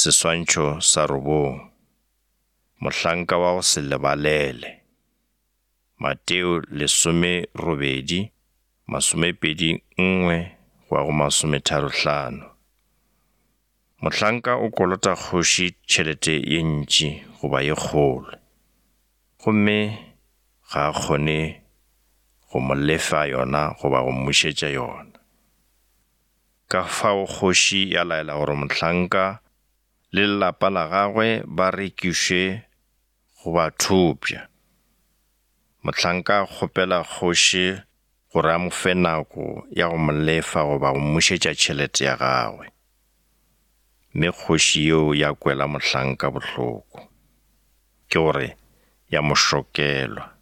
Seswantšho sa robong. Mohlanka wa go se lebalele. Mateo 18, 21 go ya go 35. Mohlanka o kolota kgoši tšhelete ye ntši goba ye kgolo, gomme ga a kgone go mo lefa yona goba go mmušetša yona. Ka fao kgoši ya laela gore mohlanka le lelapa la gagwe ba rekišwe go bathopša. Mohlanka a kgopela kgoši gore a mo fe nako ya go mo lefa goba go mmušetša tšhelete ya gagwe. Mme kgoši yeo ya kwela mohlanka bohloko, ke gore ya mo šokelwa.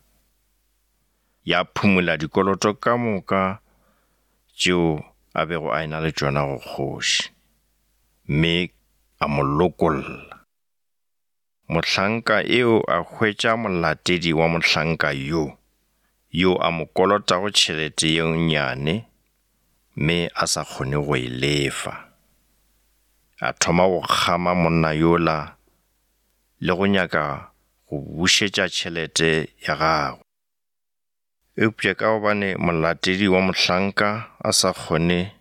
Ya phumola dikoloto ka moka tšeo a bego a e-na le tšona go kgoši, mme a mo lokolla. Mohlanka eo a hwetša molatedi wa mohlanka yo, yo a mo kolotago tšhelete ye nnyane mme a sa kgone go e lefa. A thoma go kgama monna yola le go nyaka go bušetša tšhelete ya gagwe. Eupša ka gobane molatedi wa mohlanka a sa kgone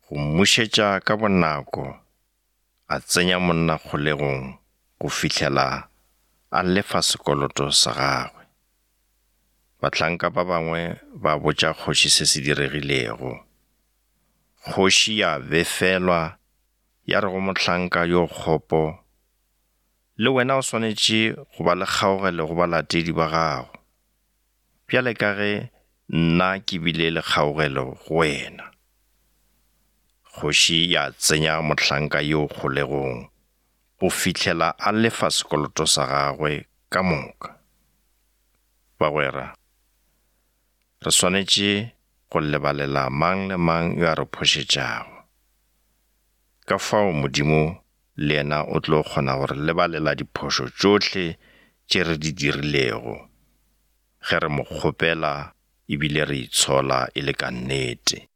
go mmušetša ka bonako, a tsenya monna kgolegong go fihlela a lefa sekoloto sa gagwe. Bahlanka ba bangwe ba botša kgoši se se diregilego. Kgoši ya befelwa ya re go mohlanka yo kgopo, Le wena o swanetše go ba le kgaogelo go balatedi ba gago, bjale ka ge nna ke bile le kgaogelo go wena. Kgoši ya tsenya mohlanka yoo kgolegong go fihlela a lefa sekoloto sa gagwe ka moka. Bagwera, re swanetše go lebalela mang le mang yo a re phošetšago. Ka fao Modimo le yena o tlo kgona go re lebalela diphošo tšohle tše re di dirilego, ge re mo kgopela e bile re itshola e le ka nnete.